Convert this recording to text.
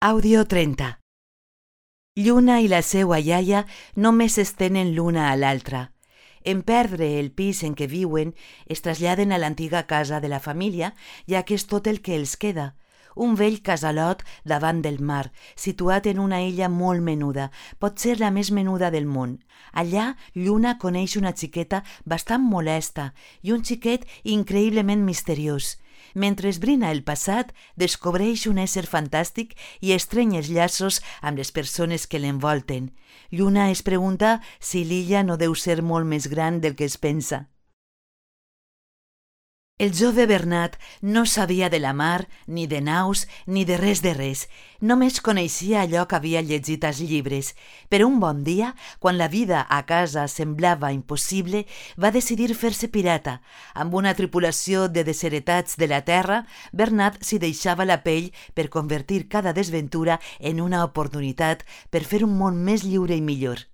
Àudio 30. Lluna i la seua iaia només s'estenen l'una a l'altra. En perdre el pis en què viuen, es traslladen a l'antiga casa de la família, ja que és tot el que els queda. Un vell casalot davant del mar, situat en una illa molt menuda, pot ser la més menuda del món. Allà, Lluna coneix una xiqueta bastant molesta i un xiquet increïblement misteriós. Mentre esbrina el passat, descobreix un ésser fantàstic i estreny els llaços amb les persones que l'envolten. Lluna es pregunta si l'illa no deu ser molt més gran del que es pensa. El jove Bernat no sabia de la mar, ni de naus, ni de res. Només coneixia allò que havia llegit als llibres. Però un bon dia, quan la vida a casa semblava impossible, va decidir fer-se pirata. Amb una tripulació de desheretats de la terra, Bernat s'hi deixava la pell per convertir cada desventura en una oportunitat per fer un món més lliure i millor.